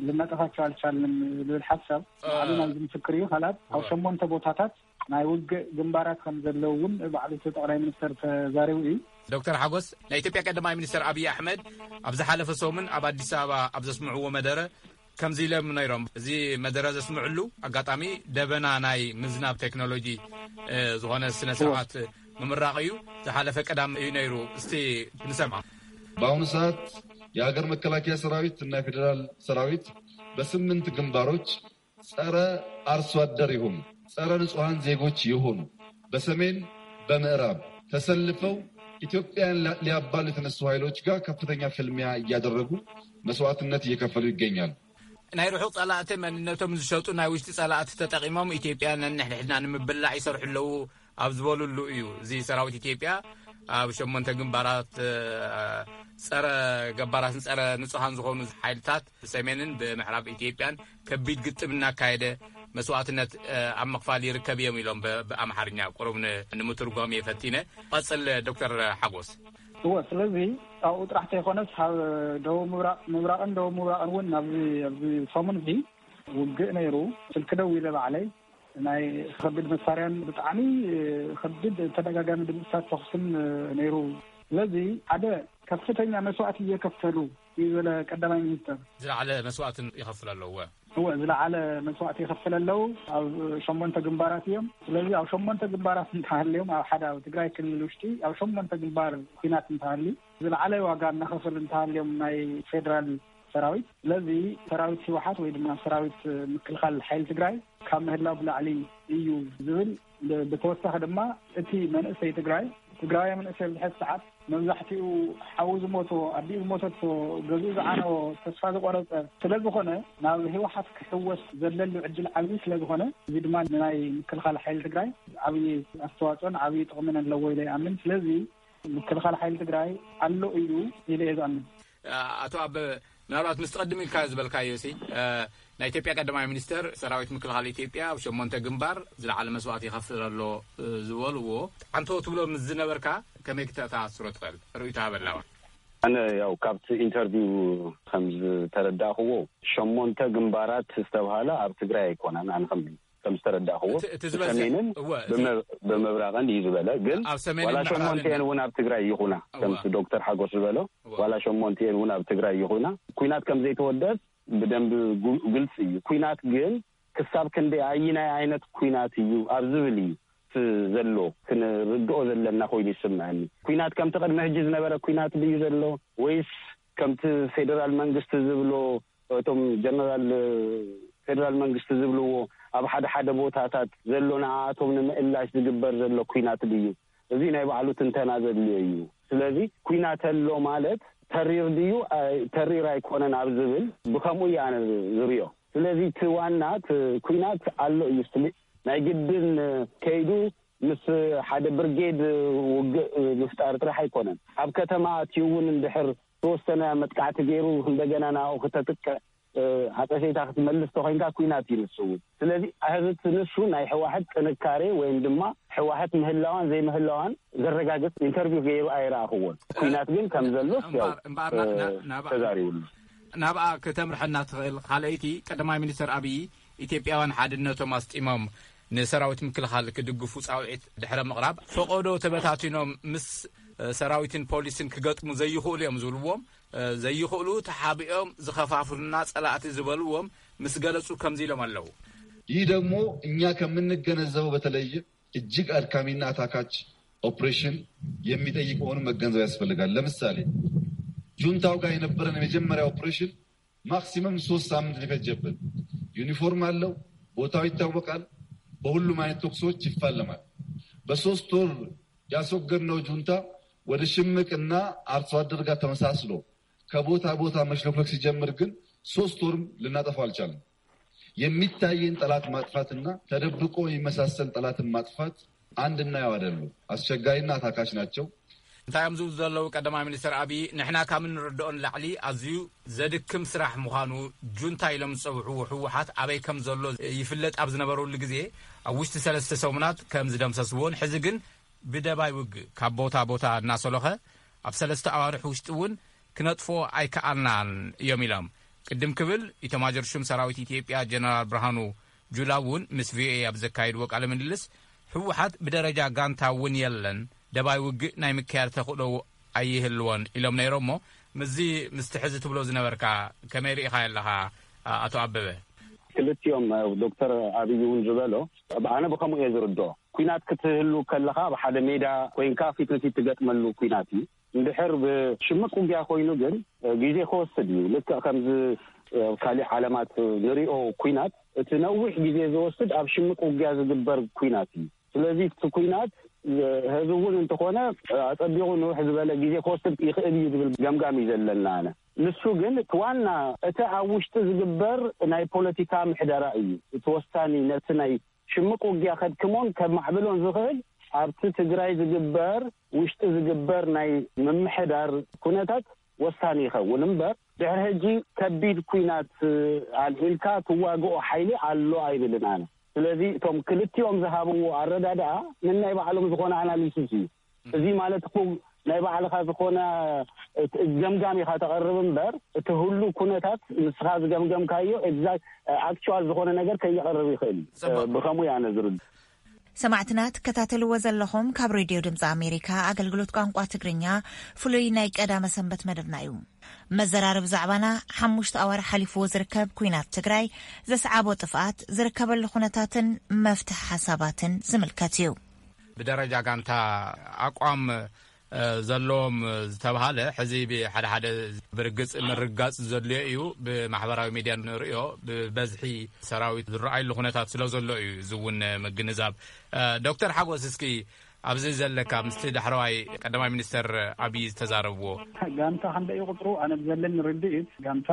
ልናጠፋቸው ኣልቻልንም ዝብል ሓሳብ ባዕሉ ናይዚ ምስክር እዩ። ካልኣት ኣብ ሸሞንተ ቦታታት ናይ ውግእ ግንባራት ከም ዘለዉ እውን ባዕሉ እቲ ጠቕላይ ሚኒስተር ተዛሪቡ እዩ። ዶክተር ሓጎስ፣ ናይ ኢትዮጵያ ቀዳማይ ሚኒስተር ኣብይ ኣሕመድ ኣብ ዝሓለፈ ሰሙን ኣብ ኣዲስ ኣበባ ኣብ ዘስምዕዎ መደረ ከምዚ ኢሎም ነይሮም። እዚ መደረ ዘስምዕሉ ኣጋጣሚ ደበና ናይ ምዝናብ ቴክኖሎጂ ዝኾነ ስነ ስርዓት ምምራቕ እዩ። ዝሓለፈ ቀዳም እዩ ነይሩ። እስቲ ንሰምዓ። በአሁኑ ሰዓት የሀገር መከላከያ ሰራዊት እና የፌዴራል ሰራዊት በስምንት ግንባሮች ጸረ አርሶ አደር ይሁኑ፣ ጸረ ንጹሐን ዜጎች ይሁኑ፣ በሰሜን በምዕራብ ተሰልፈው ኢትዮጵያን ሊያባሉ የተነሱ ኃይሎች ጋር ከፍተኛ ፍልሚያ እያደረጉ መስዋዕትነት እየከፈሉ ይገኛሉ። ናይ ርሑቕ ጸላእቲ መንነቶም ዝሸጡ ናይ ውሽጢ ጸላእቲ ተጠቒሞም ኢትዮጵያ ነንሕድሕድና ንምብላዕ ይሰርሑ ኣለዉ ኣብ ዝበሉሉ እዩ። እዚ ሰራዊት ኢትዮጵያ ኣብ ሸሞንተ ግንባራት ጸረ ገባራትን ጸረ ንጹሃን ዝኾኑ ሓይልታት ብሰሜንን ብምዕራብ ኢትዮጵያን ከቢድ ግጥም እናካየደ መስዋዕትነት ኣብ ምኽፋል ይርከብ እዮም ኢሎም ብኣምሓርኛ ቁሩብ ንምትርጓም እየ ፈቲነ። ቀጽል ዶክተር ሓጎስ። እወ፣ ስለዚ ኣብኡ ጥራሕ ተይኮነስ ካብ ደቡብ ምብራቕ ምብራቕን ደቡብ ምብራቕን እውን ናብዚ ኣብዚ ሰሙን እዚ ውግእ ነይሩ። ስልኪ ደው ኢለ ባዕለይ ናይ ከቢድ መሳርያን ብጣዕሚ ከቢድ ተደጋጋሚ ድምፅታት ተኩስን ነይሩ። ስለዚ ሓደ ከፍተኛ መስዋእቲ እየከፈሉ እዩ ዝበለ ቀዳማይ ሚኒስተር። ዝለዓለ መስዋእትን ይኸፍል ኣለዎ። እወ፣ ዝለዓለ መስዋእቲ ይኸፍል ኣለዉ። ኣብ ሸሞንተ ግንባራት እዮም። ስለዚ ኣብ ሸሞንተ ግንባራት እንተሃልዮም፣ ኣብ ሓደ ኣብ ትግራይ ክልል ውሽጢ ኣብ ሸሞንተ ግንባር ኲናት እንተሃልዩ፣ ዝለዓለ ዋጋ እናኸፈሉ እንተሃልዮም ናይ ፌደራል ሰራዊት። ስለዚ ሰራዊት ህወሓት ወይ ድማ ሰራዊት ምክልኻል ሓይሊ ትግራይ ካብ ምህላው ብላዕሊ እዩ ዝብል። ብተወሳኺ ድማ እቲ መንእሰይ ትግራይ፣ ትግራዊ መንእሰይ ኣብዚ ሕዚ ሰዓት መብዛሕትኡ ሓዉ ዝሞቶ፣ ኣዲኡ ዝሞተቶ፣ ገዝኡ ዝዓነዎ፣ ተስፋ ዝቆረፀ ስለዝኾነ ናብ ህወሓት ክሕወስ ዘለሉ ዕድል ዓብዪ ስለዝኾነ፣ እዚ ድማ ንናይ ምክልኻል ሓይሊ ትግራይ ዓብዪ ኣስተዋፅኦን ዓብዪ ጥቕምን ኣለዎ ኢለ ይኣምን። ስለዚ ምክልኻል ሓይሊ ትግራይ ኣሎ እዩ ኢለ እየ ዝኣምን። ኣቶ ኣበበ፣ ምናልባት ምስ ትቐድም ኢልካ ዝበልካዮ ሲ ናይ ኢትዮጵያ ቀዳማይ ሚኒስተር ሰራዊት ምክልኻል ኢትዮጵያ ኣብ ሸሞንተ ግንባር ዝለዓለ መስዋእቲ ይኸፍል ኣሎ ዝበልዎ ዓንቶ ትብሎ ምስ ዝነበርካ ከመይ ክተኣሳስሮ ትኽእል? ርእይቶ ሃበላዋ። ኣነ ያው ካብቲ ኢንተርቪው ከም ዝተረዳእክዎ ሸሞንተ ግንባራት ዝተብሃለ ኣብ ትግራይ ኣይኮነን። ኣነ ከም ከም ዝተረዳእክዎ እቲ ዝበዝሕ ብሰሜንን እወ፣ እቲ ብመ- ብምብራቕን እዩ ዝበለ። ግን ኣብ ሰሜንን ዋላ ምዕራብን ሸሞንቲኤን እውን ኣብ ትግራይ ይኹና እወ። ከምቲ ዶክተር ሓጎስ ዝበሎ እወ። ዋላ ሸሞንቲኤን እውን ኣብ ትግራይ ይኹና ኩናት ከም ዘይተወደስ ብደንብ ጉ- ግልፂ እዩ። ኩናት ግን ክሳብ ክንደይ ኣይናይ ዓይነት ኩናት እዩ ኣብ ዝብል እዩ እቲ ዘሎ ክንርድኦ ዘለና ኮይኑ ይስምዐኒ። ኩናት ከምቲ ቅድሚ ሕጂ ዝነበረ ኩናት ድዩ ዘሎ ወይስ ከምቲ ፌደራል መንግስቲ ዝብሎ እቶም ጀነራል ፌደራል መንግስቲ ዝብልዎ ኣብ ሓደ ሓደ ቦታታት ዘሎ ንዓኣቶም ንምእላሽ ዝግበር ዘሎ ኩናት ድዩ? እዚ ናይ ባዕሉ ትንተና ዘድልዮ እዩ። ስለዚ ኩናት ኣሎ ማለት ተሪር ድዩ ኣይ- ተሪር ኣይኮነን ኣብ ዝብል ብከምኡ እዩ ኣነ ዝሪኦ። ስለዚ እቲ ዋና እቲ ኩናት ኣሎ እዩ ስሊ ናይ ግድን ከይዱ ምስ ሓደ ብርጌድ ውግእ ምፍጣር ጥራሕ ኣይኮነን። ኣብ ከተማ ኣትዩ እውን እንድሕር ዝተወሰነ መጥቃዕቲ ገይሩ እንደገና ናብኡ ክተጥቅዕ ዓጸፌታ ክትመልስ ተኮይንካ ኩናት እዩ ንሱ እውን። ስለዚ እዚ እቲ ንሱ ናይ ህዋሕት ጥንካሬ ወይም ድማ ህዋሕት ምህላዋን ዘይምህላዋን ዘረጋግጽ ኢንተርቪው ገይሩ ኣይረኣኽዎን። ኩናት ግን ከም ዘሎ ያው እምበኣር ና- ና- ናብኣ- ተዛሪቡሉ። ናብኣ ከተምርሐና ትኽእል ካልኣይቲ ቀዳማይ ሚኒስተር ኣብዪ ኢትዮጵያውያን ሓድነቶም ኣስጢሞም ንሰራዊት ምክልኻል ክድግፉ ፃውዒት ድሕረ ምቕራብ ፈቐዶ ተበታቲኖም ምስ ሰራዊትን ፖሊስን ክገጥሙ ዘይኽእሉ እዮም ዝብልዎም ዘይኽእሉ ተሓቢኦም ዝኸፋፍሉና ፀላእቲ ዝበልዎም ምስ ገለፁ ከምዚ ኢሎም ኣለዉ። ይህ ደግሞ እኛ ከምንገነዘበው በተለይም እጅግ አድካሚና አታካች ኦፕሬሽን የሚጠይቅ መሆኑን መገንዘብ ያስፈልጋል። ለምሳሌ ጁንታው ጋር የነበረን የመጀመሪያ ኦፕሬሽን ማክሲመም ሶስት ሳምንት ነው የፈጀብን። ዩኒፎርም አለው፣ ቦታው ይታወቃል፣ በሁሉም አይነት ተኩሶች ይፋለማል። በሶስት ወር ያስወገድነው ጁንታ ወደ ሽምቅና አርሶ አደር ጋር ተመሳስሎ ከቦታ ቦታ መሽለክለክ ሲጀምር ግን ሶስት ወርም ልናጠፋው አልቻልንም። የሚታየን ጠላት ማጥፋትና ተደብቆ የሚመሳሰል ጠላትን ማጥፋት አንድና ያው አይደሉም። አስቸጋሪና አታካች ናቸው። እንታይ እዮም ዝብሉ ዘለዉ ቀዳማይ ሚኒስትር ኣብይ? ንሕና ካብ እንርድኦ ንላዕሊ ኣዝዩ ዘድክም ስራሕ ምዃኑ፣ ጁንታ ኢሎም ዝጸውዕዎ ህወሓት ኣበይ ከም ዘሎ ይፍለጥ ኣብ ዝነበረሉ ግዜ፣ ኣብ ውሽጢ ሰለስተ ሰሙናት ከም ዝደምሰስዎን፣ ሕዚ ግን ብደባይ ውግእ ካብ ቦታ ቦታ እናሰሎኸ ኣብ ሰለስተ ኣዋርሕ ውሽጢ እውን ክነጥፍኦ ኣይከኣልናን እዮም ኢሎም። ቅድም ክብል ኢተማጆር ሹም ሰራዊት ኢትዮጵያ ጀነራል ብርሃኑ ጁላ እውን ምስ ቪኦኤ ኣብ ዘካየድዎ ቃለ ምልልስ፣ ህወሓት ብደረጃ ጋንታ እውን የለን፣ ደባይ ውግእ ናይ ምክያድ ተኽእሎ ኣይህልዎን ኢሎም ነይሮም። እሞ ምስዚ ምስቲ ሕዚ ትብሎ ዝነበርካ ከመይ ርኢኻ ኣለኻ ኣቶ ኣበበ? ክልቲኦም ዶክተር ኣብይ እውን ዝበሎ፣ ኣነ ብከምኡ እየ ዝርድኦ። ኲናት ክትህሉ ከለኻ ኣብ ሓደ ሜዳ ኮይንካ ፊት ንፊት ትገጥመሉ ኲናት እዩ። እንድሕር ብሽምቅ ውግያ ኮይኑ ግን ግዜ ክወስድ እዩ። ልክዕ ከምዚ ኣብ ካሊእ ዓለማት ንሪኦ ኲናት፣ እቲ ነዊሕ ግዜ ዝወስድ ኣብ ሽምቅ ውግያ ዝግበር ኲናት እዩ። ስለዚ እቲ ኲናት ህዚ እውን እንተኾነ ኣጸቢቑ ንውሕ ዝበለ ግዜ ክወስድ ይኽእል እዩ ዝብል ገምጋም እዩ ዘለና። ኣነ ንሱ ግን እቲ ዋና እቲ ኣብ ውሽጢ ዝግበር ናይ ፖለቲካ ምሕደራ እዩ እቲ ወሳኒ። ነቲ ናይ ሽምቅ ውግያ ከድክሞን ከማዕብሎን ዝኽእል ኣብቲ ትግራይ ዝግበር ውሽጢ ዝግበር ናይ ምምሕዳር ኩነታት ወሳኒ ይኸውን እምበር፣ ድሕሪ ሕጂ ከቢድ ኲናት ኣልዒልካ ትዋግኦ ሓይሊ ኣሎ ኣይብልን ኣነ። ስለዚ እቶም ክልቲኦም ዝሃብዎ ኣረዳድኣ ንናይ ባዕሎም ዝኾነ ኣናሊሲስ እዩ። እዚ ማለት እኮ ናይ ባዕልኻ ዝኾነ ገምጋም ኢኻ ተቐርብ እምበር፣ እቲ ህሉ ኩነታት ንስኻ ዝገምገምካዮ ኤግዛክት ኣክቹዋል ዝኾነ ነገር ከየቐርብ ይኽእል እዩ። ብኸምኡ እያ ነዝርዱ። ሰማዕትና ትከታተልዎ ዘለኹም ካብ ሬድዮ ድምፂ ኣሜሪካ ኣገልግሎት ቋንቋ ትግርኛ ፍሉይ ናይ ቀዳመ ሰንበት መደብና እዩ። መዘራረቢ ዛዕባና ሓሙሽተ ኣዋርሕ ሓሊፍዎ ዝርከብ ኲናት ትግራይ ዘስዓቦ ጥፍኣት ዝርከበሉ ኩነታትን መፍትሒ ሓሳባትን ዝምልከት እዩ። ብደረጃ ጋንታ ኣቋም ዘለዎም ዝተባሃለ ሕዚ ብሓደ ሓደ ብርግጽ ምርጋጽ ዘድልዮ እዩ። ብማሕበራዊ ሚድያ ንርእዮ ብበዝሒ ሰራዊት ዝረኣየሉ ኩነታት ስለ ዘሎ እዩ እዚ እውን ምግንዛብ። ዶክተር ሓጎስ እስኪ ኣብዚ ዘለካ ምስቲ ዳሕረዋይ ቀዳማይ ሚኒስተር ኣብይ ዝተዛረብዎ። ጋንታ ክንደይ እዩ ቁፅሩ? ኣነ ብዘለኒ ርድኢት ጋንታ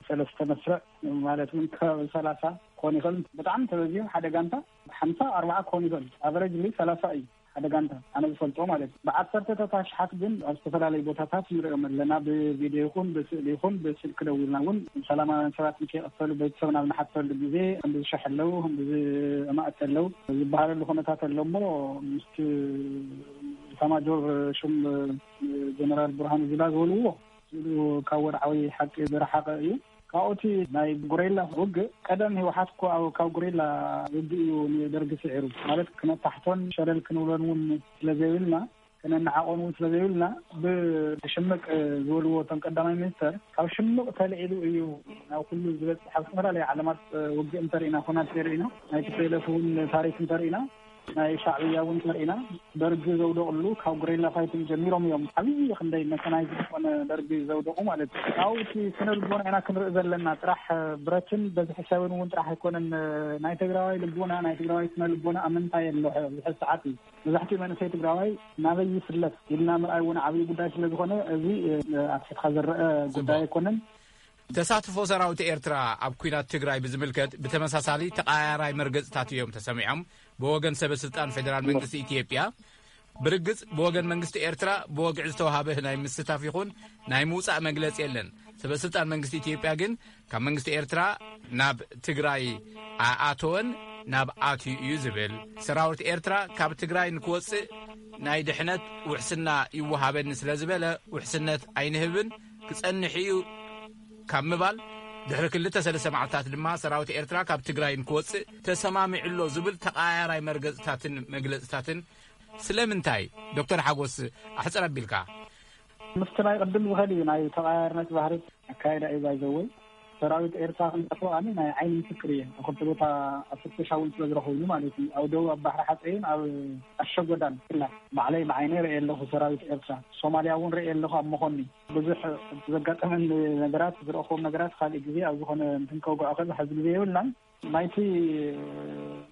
ሰለስተ መስርዕ ማለት እውን ከባቢ ሰላሳ ክኾን ይኽእል። ብጣዕሚ ተበዚሑ ሓደ ጋንታ ሓምሳ ኣርባዓ ክኾን ይኽእል። ኣቨረጅ ሊ ሰላሳ እዩ ሓደ ጋንታ ኣነ ዝፈልጦ ማለት እዩ። ብዓሰርተታት ኣሽሓት ግን ኣብ ዝተፈላለዩ ቦታታት ንሪኦም ኣለና። ብቪድዮ ይኹን ብስእሊ ይኹን ብስልኪ ደዊልና እውን ሰላማውያን ሰባት ንከይቐተሉ ቤተሰብና ኣብ ንሓተሉ ግዜ ከምዚ ዝሸሕ ኣለዉ ከምዚ ዝማእቲ ኣለዉ ዝበሃለሉ ኩነታት ኣሎ እሞ ምስቲ ኢታማጆር ሹም ጀነራል ብርሃኑ ጁላ ዝበልዎ ካብ ወድዓዊ ሓቂ ዝረሓቐ እዩ። ካብኡቲ ናይ ጉሬላ ውግእ ቀደም ህወሓት እኮ ኣብ ካብ ጉሬላ ውግእ እዩ ንደርጊ ስዒሩ ማለት ክነታሕቶን ሸለል ክንብሎን እውን ስለዘይብልና ከነነዓቆን እውን ስለዘይብልና ብሽምቅ ዝበልዎ እቶም ቀዳማይ ሚኒስተር ካብ ሽምቅ ተልዒሉ እዩ ናብ ኩሉ ዝበፅሕ ኣብ ዝተፈላለዩ ዓለማት ውግእ እንተርኢና ኩናት እንተርኢና ናይ ቲፒኤልኤፍ እውን ታሪክ እንተርኢና ናይ ሻዕብያ እውን ተርኢና ደርጊ ዘውደቕሉ ካብ ጉሬላ ፋይቲንግ ጀሚሮም እዮም ዓብዪ ክንደይ መካናይዝ ዝኾነ ደርጊ ዘውደቑ ማለት እዩ። ካብኡ እቲ ስነ ልቦና ኢና ክንርኢ ዘለና ጥራሕ ብረትን በዝሒ ሰብን እውን ጥራሕ ኣይኮነን ናይ ትግራዋይ ልቦና ናይ ትግራዋይ ስነ ልቦና ኣብ ምንታይ ኣሎ ኣብዚ ሕዚ ሰዓት እዩ። መብዛሕትኡ መንእሰይ ትግራዋይ ናበይ ይፍለጥ ኢልና ምርኣይ እውን ዓብዪ ጉዳይ ስለ ዝኾነ እዚ ኣብ ፊትካ ዝረአ ጉዳይ ኣይኮነን። ተሳትፎ ሰራዊት ኤርትራ ኣብ ኲናት ትግራይ ብዝምልከት ብተመሳሳሊ ተቐያያራይ መርገጽታት እዮም ተሰሚዖም። ብወገን ሰበ ስልጣን ፌደራል መንግስቲ ኢትዮጵያ ብርግጽ ብወገን መንግስቲ ኤርትራ ብወግዒ ዝተዋሃበ ናይ ምስታፍ ይኹን ናይ ምውጻእ መግለጺ የለን። ሰበ ስልጣን መንግስቲ ኢትዮጵያ ግን ካብ መንግስቲ ኤርትራ ናብ ትግራይ ኣኣተወን ናብ ኣትዩ እዩ ዝብል። ሰራዊት ኤርትራ ካብ ትግራይ ንክወጽእ ናይ ድሕነት ውሕስና ይወሃበኒ ስለ ዝበለ ውሕስነት ኣይንህብን ክጸንሕ እዩ ካብ ምባል ድሕሪ ክልተ ሰለስተ መዓልታት ድማ ሰራዊት ኤርትራ ካብ ትግራይ ንክወጽእ ተሰማሚዑ ኣሎ ዝብል ተቐያያራይ መርገጽታትን መግለጽታትን ስለምንታይ ዶክተር ሓጎስ ኣሕጽር ኣቢልካ ምስቲ ናይ ቅድም ዝኸድ እዩ ናይ ተቐያያርነት ባህሪ ኣካይዳ እዩ ባይዘወይ ሰራዊት ኤርትራ ክንጠፍኦ ኣነ ናይ ዓይኒ ምስክር እየ ኣብ ክልተ ቦታ ኣብ ፍተሻ እውን ስለ ዝረኸብሉ ማለት እዩ ኣብ ደቡብ ኣብ ባሕሪ ሓፀይን ኣብ ኣሸጎዳን ላ ባዕለይ ብዓይነይ ርአ ኣለኹ ሰራዊት ኤርትራ ሶማልያ እውን ርአ ኣለኹ ኣብ መኾኒ ብዙሕ ዘጋጠመን ነገራት ዝረእኹዎም ነገራት ካልእ ግዜ ኣብ ዝኾነ እንትንከውግዖ ከዚ ሕዚ ግዜ የብልናን ናይቲ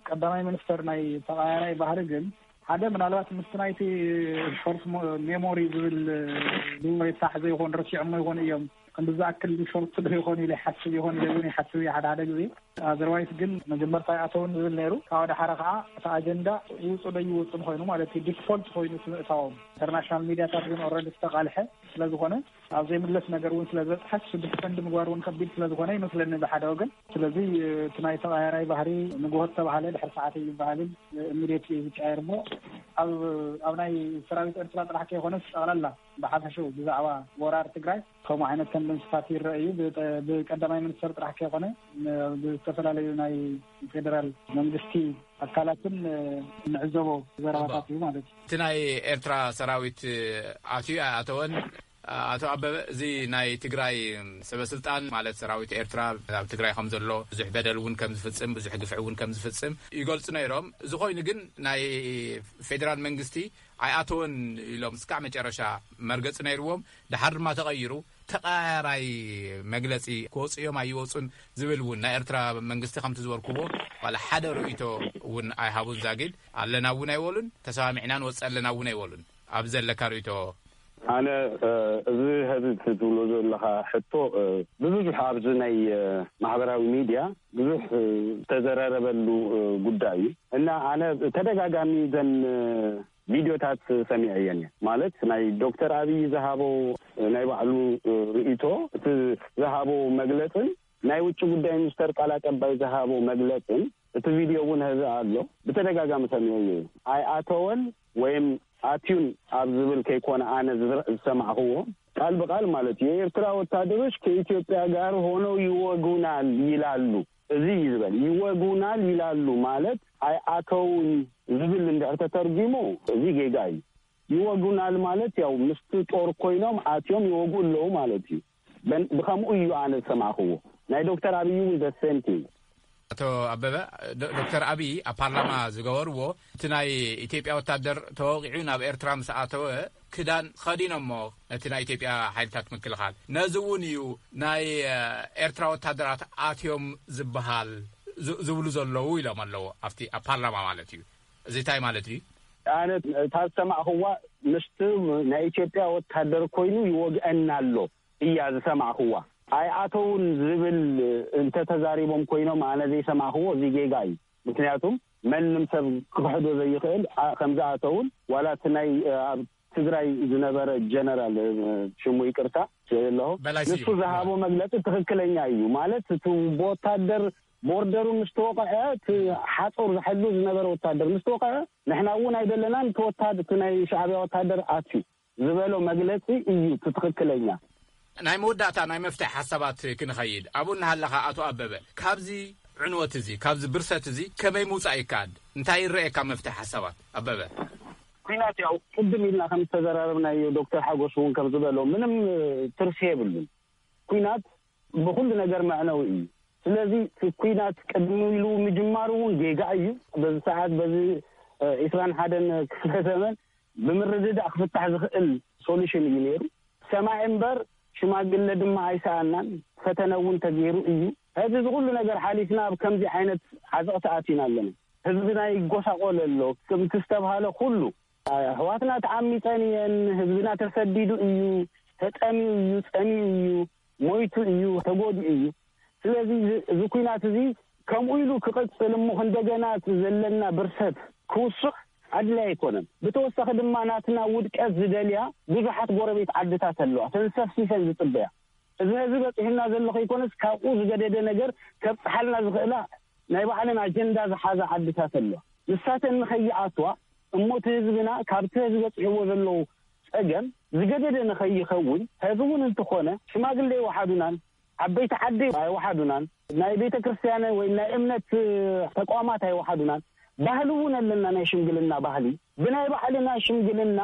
ቀዳማይ ሚኒስተር ናይ ተቐያራይ ባህሪ ግን ሓደ ምናልባት ምስቲ ናይቲ ሾርት ሜሞሪ ዝብል ሜሞሪ ሳሕ ዘይኮን ረሲዖሞ ይኾኑ እዮም ክንዲ ዝኣክል ሾርት ዶ ይኾን ኢለ ይሓስብ ይኾን ኢለ እውን ይሓስብ እየ ሓደ ሓደ ግዜ። ኣዘርዋይስ ግን መጀመርታ ኣይኣተውን ዝብል ነይሩ። ካብ ደሓረ ከዓ እቲ ኣጀንዳ ይውፁ ዶ ይወፁን ኮይኑ ማለት እዩ፣ ዲፎልት ኮይኑ እቲ ምእታዎም። ኢንተርናሽናል ሚዲያታት ግን ኦልሬዲ ዝተቃልሐ ስለዝኾነ፣ ኣብ ዘይምለስ ነገር እውን ስለ ዝበፅሐ፣ ሽዱሽተ ቀንዲ ምግባር እውን ከቢድ ስለ ዝኾነ ይመስለኒ ብሓደ ወገን። ስለዚ እቲ ናይ ተቐያራይ ባህሪ ንግሆ ዝተባሃለ ድሕሪ ሰዓት እዩ ይበሃልን፣ ኢሚድየትሊ እዩ ዝቀየር እሞ፣ ኣብ ኣብ ናይ ሰራዊት ኤርትራ ጥራሕ ከይኮነስ ጠቕላላ ብሓፈሽኡ ብዛዕባ ወራር ትግራይ ከምኡ ዓይነት ተንደንስታት ይረአ እዩ። ብቀ- ብቀዳማይ ሚኒስተር ጥራሕ ከይኮነ፣ ን- ብዝተፈላለዩ ናይ ፌደራል መንግስቲ ኣካላትን ንዕዘቦ ዘረባታት እዩ ማለት እዩ። እቲ ናይ ኤርትራ ሰራዊት ኣትዩ ኣተወን? ኣቶ ኣበበ፣ እዚ ናይ ትግራይ ሰበስልጣን ማለት ሰራዊት ኤርትራ ኣብ ትግራይ ከም ዘሎ፣ ብዙሕ በደል እውን ከም ዝፍጽም፣ ብዙሕ ግፍዒ እውን ከም ዝፍጽም ይገልጹ ነይሮም። እዚ ኮይኑ ግን ናይ ፌደራል መንግስቲ ኣይኣተወን ኢሎም እስካዕ መጨረሻ መርገጺ ነይርዎም። ደሓር ድማ ተቐይሩ፣ ተቐያራይ መግለጺ ክወጹ እዮም ኣይወጹን ዝብል እውን ናይ ኤርትራ መንግስቲ ከምቲ ዝበልኩዎ ዋላ ሓደ ርእይቶ እውን ኣይሃቡን። ዛጊድ ኣለና እውን ኣይበሉን፣ ተሰማሚዕና ንወጽእ ኣለና እውን ኣይበሉን። ኣብዚ ዘለካ ርእይቶ? ኣነ፣ እ፣ እዚ ሀዚ ትብሎ ዘለኻ ሕቶ፣ እ፣ ብብዙሕ ኣብዚ ናይ፣ እ፣ ማሕበራዊ ሚድያ ብዙሕ፣ እ፣ ዝተዘራረበሉ፣ እ፣ ጉዳይ እዩ። እና ኣነ ተደጋጋሚ ዘን፣ እ፣ ቪድዮታት ሰሚዐየን እየ። ማለት ናይ ዶክተር ኣብይ ዝሃቦ፣ እ፣ ናይ ባዕሉ፣ እ፣ ርእይቶ፣ እቲ ዝሃቦ መግለጽን ናይ ውጭ ጉዳይ ሚኒስተር ቃል ኣቀባይ ዝሃቦ መግለጽን እቲ ቪድዮ እውን ሀዚ ኣሎ። ብተደጋጋሚ ሰሚዐዮ እዩ። ኣይኣተወን ወይም ኣትዩን ኣብ ዝብል ከይኮነ ኣነ ዝረ- ዝሰማዕኽዎ ቃል ብቃል ማለት እዩ። የኤርትራ ወታደሮች ከኢትዮጵያ ጋር ሆነው ይወጉናል ይላሉ። እዚ እዩ ዝበል፣ ይወጉናል ይላሉ ማለት ኣይኣተውን ዝብል እንድሕር ተተርጒሙ እዚ ጌጋ እዩ። ይወጉናል ማለት ያው ምስቲ ጦር ኮይኖም ኣትዮም ይወጉ ኣለዉ ማለት እዩ። በን- ብኸምኡ እዩ ኣነ ዝሰማዕኽዎ። ናይ ዶክተር ኣብይ እውን the same thing። ኣቶ ኣበበ፣ ዶ- ዶክተር ኣብይ ኣብ ፓርላማ ዝገበርዎ እቲ ናይ ኢትዮጵያ ወታደር ተወቂዑ ናብ ኤርትራ ምስ ኣተወ ክዳን ኸዲኖሞ ነቲ ናይ ኢትዮጵያ ሓይልታት ምክልኻል። ነዚ እውን እዩ ናይ፣ እ፣ ኤርትራ ወታደራት ኣትዮም ዝበሃል ዝ- ዝብሉ ዘለዉ ኢሎም ኣለዉ ኣብቲ ኣብ ፓርላማ ማለት እዩ። እዚ እንታይ ማለት እዩ? ኣነ እታ ዝሰማዕኽዋ ምስቲ ናይ ኢትዮጵያ ወታደር ኮይኑ ይወግአና ኣሎ እያ ዝሰማዕኽዋ። ኣይኣተውን ዝብል እንተተዛሪቦም ኮይኖም ኣነ ዘይሰማዕኽዎ እዚ ጌጋ እዩ። ምክንያቱም መንም ሰብ ክኽሕዶ ዘይኽእል ኣ- ከምዝኣተውን ዋላ እቲ ናይ ኣብ ትግራይ ዝነበረ ጀነራል ሽሙ ይቅርታ ኣለኹ በላይ ንሱ ስዩም። ዝሃቦ መግለፂ ትኽክለኛ እዩ። ማለት እቲ ብወታደር ቦርደሩ ምስ ተወቕዐ እቲ ሓፁር ዝሕሉ ዝነበረ ወታደር ምስ ተወቕዐ ንሕና እውን ኣይደለናን እቲ ወታደ- እቲ ናይ ሻዕቢያ ወታደር ኣትዩ ዝበሎ መግለፂ እዩ እቲ ትኽክለኛ። ናይ መወዳእታ ናይ መፍትሒ ሓሳባት ክንኸይድ ኣብኡ እናሃለኻ ኣቶ ኣበበ ካብዚ ዕንወት እዚ ካብዚ ብርሰት እዚ ከመይ ምውፃእ ይከኣል? እንታይ ይረኤካ መፍትሒ ሓሳባት ኣበበ? ኩናት ያው ቅድም ኢልና ከም ዝተዘራረብናዮ ዶክተር ሓጎስ እውን ከም ዝበሎ ምንም ትርፊ የብሉን። ኩናት ብኩሉ ነገር መዕነዊ እዩ። ስለዚ እቲ ኩናት ቅድሚ ኢሉ ምጅማሩ እውን ጌጋ እዩ። በዚ ሰዓት በዚ ዒስራን ሓደን ክፍለ ዘመን ብምርድዳእ ክፍታሕ ዝኽእል ሶሉሽን እዩ ነይሩ። ሰማዒ እምበር ሽማግለ ድማ ኣይሰኣናን። ፈተነ እውን ተገይሩ እዩ። ሕዚ እዚ ኩሉ ነገር ሓሊፍና ኣብ ከምዚ ዓይነት ዓዘቕቲ ኣቲና ኣለና። ህዝብና ይጎሳቆል ኣሎ። ከምቲ ዝተብሃለ ኩሉ ኣሕዋትና ተዓሚፀን እየን። ህዝብና ተሰዲዱ እዩ፣ ተጠሚዩ እዩ፣ ፀሚኡ እዩ፣ ሞይቱ እዩ፣ ተጎዲኡ እዩ። ስለዚ እዚ ኩናት እዚ ከምኡ ኢሉ ክቕፅል እሞ እንደገና እቲ ዘለና ብርሰት ክውስኽ ኣድላይ ኣይኮነን። ብተወሳኺ ድማ ናትና ውድቀት ዝደልያ ብዙሓት ጎረቤት ዓድታት ኣለዋ፣ ተንሰፍሲፈን ዝፅበያ። እዚ ህዝቢ በፂሑና ዘሎ ከይኮነስ ካብኡ ዝገደደ ነገር ከብፅሓልና ዝኽእላ ናይ ባዕለን ኣጀንዳ ዝሓዛ ዓድታት ኣለዋ። ንሳተን ንኸይኣትዋ እሞ እቲ ህዝብና ካብቲ ህዝቢ በፂሕዎ ዘለዉ ፀገም ዝገደደ ንኸይኸውን ህዝቢ እውን እንተኾነ ሽማግሌ ይወሓዱናን ዓበይቲ ዓዲ ኣይወሓዱናን ናይ ቤተ ክርስቲያን ወይ ናይ እምነት ተቋማት ኣይወሓዱናን። ባህሊ እውን ኣለና፣ ናይ ሽምግልና ባህሊ ብናይ ባዕልና ሽምግልና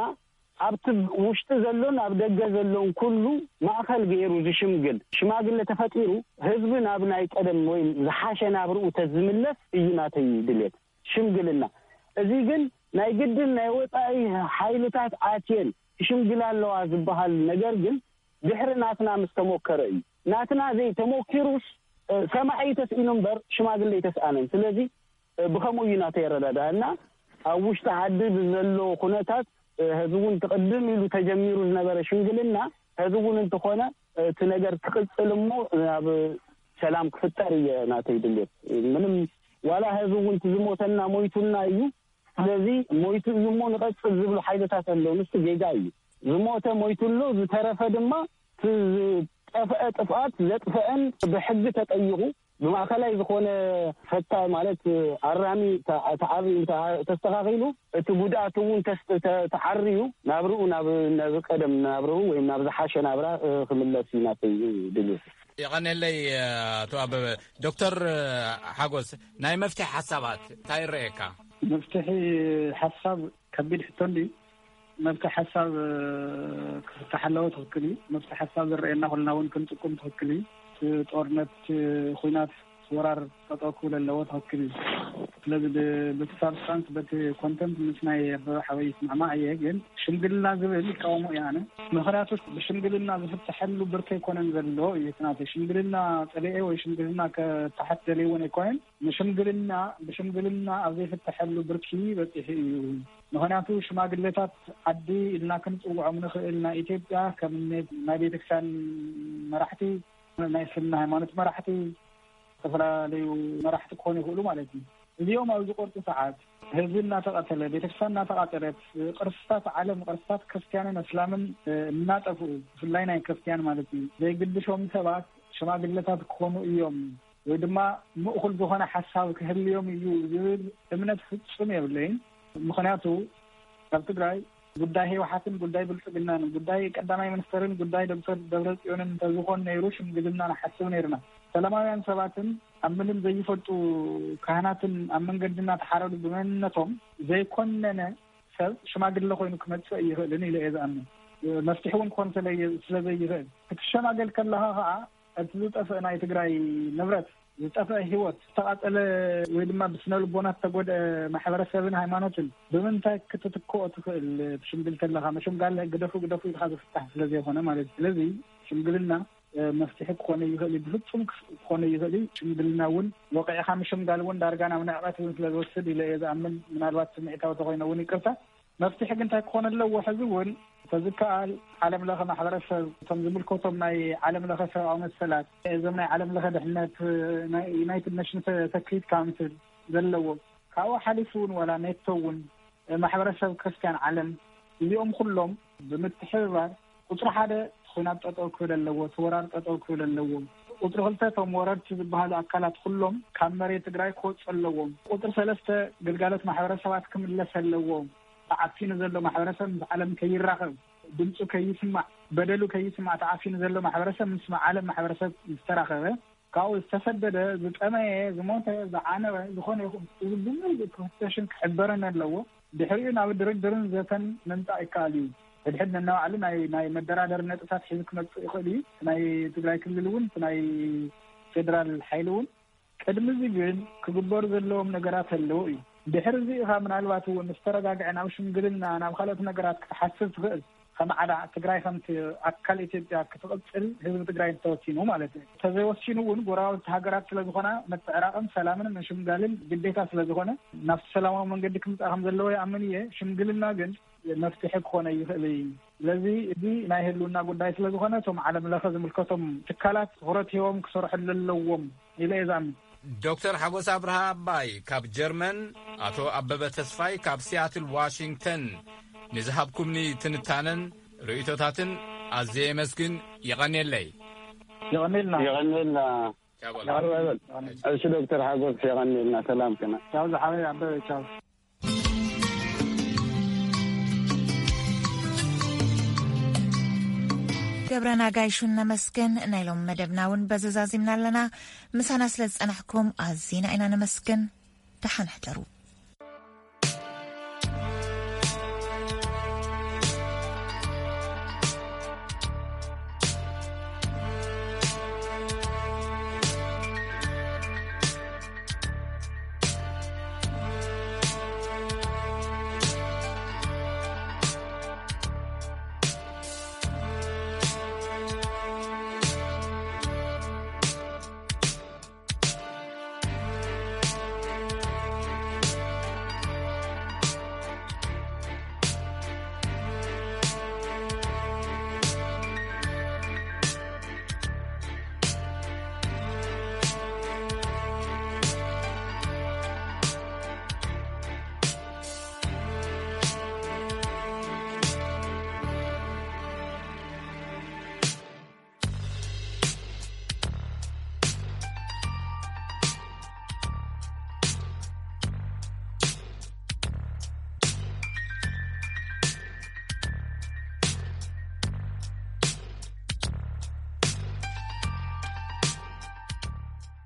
ኣብቲ ውሽጢ ዘሎን ኣብ ደገ ዘሎን ኩሉ ማእኸል ገይሩ ዝሽምግል ሽማግለ ተፈጢሩ ህዝቢ ናብ ናይ ቀደም ወይ ዝሓሸ ናብርኡ ተዝምለስ እዩ ናተይ ድሌት። ሽምግልና እዚ ግን ናይ ግድን ናይ ወፃኢ ሓይልታት ኣትየን ክሽምግላ ኣለዋ ዝበሃል ነገር ግን ድሕሪ ናትና ምስ ተሞከረ እዩ። ናትና ዘይተሞኪሩስ ሰማዒ ተስኢኑ እምበር ሽማግለ ኣይተስኣነን። ስለዚ ብኸምኡ እዩ ናተይ ኣረዳድኣ እና ኣብ ውሽጢ ዓዲ ብዘሎ ኩነታት ህዚ እውን ትቕድም ኢሉ ተጀሚሩ ዝነበረ ሽምግልና ህዚ እውን እንተኾነ እቲ ነገር ክቕጽል እሞ ናብ ሰላም ክፍጠር እየ ናተይ ድሌት። ምንም ዋላ ህዝቢ እውን እቲ ዝሞተና ሞይቱና እዩ። ስለዚ ሞይቱ እዩ እሞ ንቐጽል ዝብሉ ሓይልታት ኣለዉ። ንሱ ጌጋ እዩ። ዝሞተ ሞይቱ ኣሎ፣ ዝተረፈ ድማ እቲ ዝጠፍአ ጥፍኣት ዘጥፍአን ብሕጊ ተጠይቑ ብማእከላይ ዝኾነ ፈታ ማለት ኣራሚ ተ-፣ ተዓርዩ እንተ-፣ ተስተኻኺሉ እቲ ጉድኣት እውን ተስ-፣ ተ-፣ ተዓርዩ ናብርኡ ናብ፣ ናብ ቀደም ናብርኡ ወይም ናብ ዝሓሸ ናብራ፣ እ፣ ክምለስ እዩ ናተይ ድልየት። የቐኔለይ ኣቶ ኣበበ። ዶክተር ሓጎስ፣ ናይ መፍትሒ ሓሳባት እንታይ ይረኣየካ? መፍትሒ ሓሳብ ከቢድ ሕቶ እንድዩ። መፍትሒ ሓሳብ፣ እ፣ ክፍታሕ ኣለዎ፣ ትኽክል እዩ። መፍትሒ ሓሳብ ዝረኣየና ኩልና እውን ክንጥቁም ትኽክል እዩ። እቲ ጦርነት፣ እቲ ኹናት፣ እቲ ወራር ጠጠው ክብል ኣለዎ፣ ትኽክል እዩ። ስለዚ ብ-፣ በቲ ሳብስታንስ፣ በቲ ኮንተንት ምስ ናይ ኣበበ ሓወይ ይስማዕማዕ እየ፣ ግን ሽምግልና ዝብል ይቃወሞ እየ ኣነ። ምኽንያቱ ብሽምግልና ዝፍተሐሉ ብርኪ ኣይኮነን ዘሎ እዩ እቲ ናተይ። ሽምግልና ጸሊኤ ወይ ሽምግልና ከተሓት ደልየ እውን ኣይኮነን። ንሽምግልና፣ ብሽምግልና ኣብ ዘይፍተሐሉ ብርኪ በጺሑ እዩ። ምኽንያቱ ሽማግሌታት ዓዲ ኢልና ክንጽውዖም ንኽእል፣ ናይ ኢትዮጵያ ከም ናይ ቤተክርስትያን መራሕቲ፣ ናይ እስልምና ሃይማኖት መራሕቲ፣ ዝተፈላለዩ መራሕቲ ክኾኑ ይኽእሉ ማለት እዩ። እዚኦም ኣብ ዝቆርጡ ሰዓት ህዝቢ እናተቐተለ፣ ቤተክርስትያን እናተቓጸለት፣ ቅርስታት ዓለም፣ ቅርስታት ክርስትያንን እስላምን፣ እ፣ እናጠፍኡ፣ ብፍላይ ናይ ክርስትያን ማለት እዩ፣ ዘይግድሾም ሰባት ሽማግለታት ክኾኑ እዮም ወይ ድማ ምእኹል ዝኾነ ሓሳብ ክህልዮም እዩ ዝብል እምነት ፍጹም የብለይን። ምኽንያቱ ኣብ ትግራይ ጉዳይ ህወሓትን ጉዳይ ብልጽግናን ጉዳይ ቀዳማይ ሚኒስተርን ጉዳይ ዶክተር ደብረጽዮንን እንተዝኾን ነይሩ ሽምግልና ንሓስብ ነይርና። ሰላማውያን ሰባትን ኣብ ምንም ዘይፈልጡ ካህናትን ኣብ መንገዲ እናተሓረዱ ብመንነቶም ዘይኮነነ ሰብ ሽማግለ ኮይኑ ክመጽእ ይኽእልን ኢለ እየ ዝኣምን። መፍትሒ እውን ክኾን ስለየ-፣ ስለ ዘይኽእል ክትሸማገል ከለኻ ኸዓ እቲ ዝጠፍእ ናይ ትግራይ ንብረት፣ ዝጠፍአ ህይወት፣ ዝተቓጸለ ወይ ድማ ብስነ ልቦና ዝተጎድአ ማሕበረሰብን ሃይማኖትን ብምንታይ ክትትክኦ ትኽእል? ትሽምግል ከለኻ ምሽምጋል ግደፉ ግደፉ ኢልካ ዝፍታሕ ስለ ዘይኮነ ማለት እዩ። ስለዚ ሽምግልና፣ እ፣ መፍትሒ ክኾነ ይኽእል እዩ፣ ብፍጹም ክስ-፣ ክኾነ ይኽእል እዩ። ሽምግልና እውን ወቂዕካ ምሽምጋል እውን ዳርጋ ናብ ንዕቀት እውን ስለ ዝወስድ ኢለ እየ ዝኣምን። ምናልባት ስምዒታዊ ተኾይነ እውን ይቅርታ። መፍትሒ ግን እንታይ ክኾን ኣለዎ? ሕዚ እውን ተዝከኣል ዓለም ለኸ ማሕበረሰብ፣ እቶም ዝምልከቶም ናይ ዓለም ለኸ ሰብኣዊ መሰላት፣ እዞም ናይ ዓለም ለኸ ድሕነት፣ ናይ ዩናይትድ ኔሽንስ ሰክሪት ካውንስል ዘለዎ፣ ካብኡ ሓሊፉ እውን ዋላ ኔቶ እውን ማሕበረሰብ ክርስትያን ዓለም፣ እዚኦም ኩሎም ብምትሕብባር ቁፅሪ ሓደ ኹናት ጠጠው ክብል ኣለዎ፣ እቲ ወራር ጠጠው ክብል ኣለዎ። ቁፅሪ ክልተ እቶም ወረርቲ ዝበሃሉ ኣካላት ኩሎም ካብ መሬት ትግራይ ክወፁ ኣለዎም። ቁፅሪ ሰለስተ ግልጋሎት ማሕበረሰባት ክምለስ ኣለዎ። ተዓፊኑ ዘሎ ማሕበረሰብ ምስ ዓለም ከይራኸብ፣ ድምፁ ከይስማዕ፣ በደሉ ከይስማዕ ተዓፊኑ ዘሎ ማሕበረሰብ ምስ ዓለም ማሕበረሰብ ዝተራኸበ፣ ካብኡ ዝተሰደደ፣ ዝጠመየ፣ ዝሞተ፣ ዝዓነወ፣ ዝኾነ ይኹን፣ እዚ ብምሉእ ክፍተሽን ክሕበርን ኣለዎ። ድሕሪኡ ናብ ድርድርን ዘተን ምምጻእ ይከኣል እዩ። ሕድሕድ ነናባዕሉ ናይ፣ ናይ መደራደሪ ነጥብታት ሒዙ ክመጽእ ይኽእል እዩ። እቲ ናይ ትግራይ ክልል እውን፣ እቲ ናይ ፌደራል ሓይሊ እውን። ቅድሚ እዚ ግን ክግበሩ ዘለዎም ነገራት ኣለዉ እዩ። ድሕሪ እዚ ኢኻ ምናልባት እውን ዝተረጋግዐ ናብ ሽምግልና፣ ናብ ካልኦት ነገራት ክትሓስብ ትኽእል። ከም ዓዳ ትግራይ ከምቲ ኣካል ኢትዮጵያ ክትቕጽል ህዝቢ ትግራይ እንተወሲኑ ማለት እዩ። እንተዘይወሲኑ እውን ጎረባብቲ ሃገራት ስለ ዝኾና ምትዕራቕን ሰላምን ምሽምጋልን ግዴታ ስለ ዝኾነ ናብቲ ሰላማዊ መንገዲ ክምጻእ ከም ዘለዎ ይኣምን እየ። ሽምግልና ግን መፍትሒ ክኾነ ይኽእል እዩ። ስለዚ እዚ ናይ ህልውና ጉዳይ ስለ ዝኾነ እቶም ዓለም ለኸ ዝምልከቶም ትካላት ትኹረት ሂቦም ክሰርሕሉ ኣለዎም ኢለ እየ ዝኣምን። ዶክተር ሓጎስ ኣብርሃ ኣባይ ካብ ጀርመን፣ ኣቶ ኣበበ ተስፋይ ካብ ሲያትል ዋሽንግተን፣ ንዝሃብኩምኒ ትንታነን ርእይቶታትን ኣዝየ የመስግን። የቐንየለይ። የቐንየልና። የቐንየልና። ቻው በል። ቻው በል። እሺ ዶክተር ሓጎስ የቐንየልና። ሰላም ከና። ቻው ዝሓወይ ኣበበ፣ ቻው። ገብረና ጋይሹ ነመስግን። ናይ ሎም መደብና እውን በዚ ዛዚምና ኣለና። ምሳና ስለ ዝጸናሕኩም ኣዚና ኢና ነመስግን። ደሓን ሕደሩ።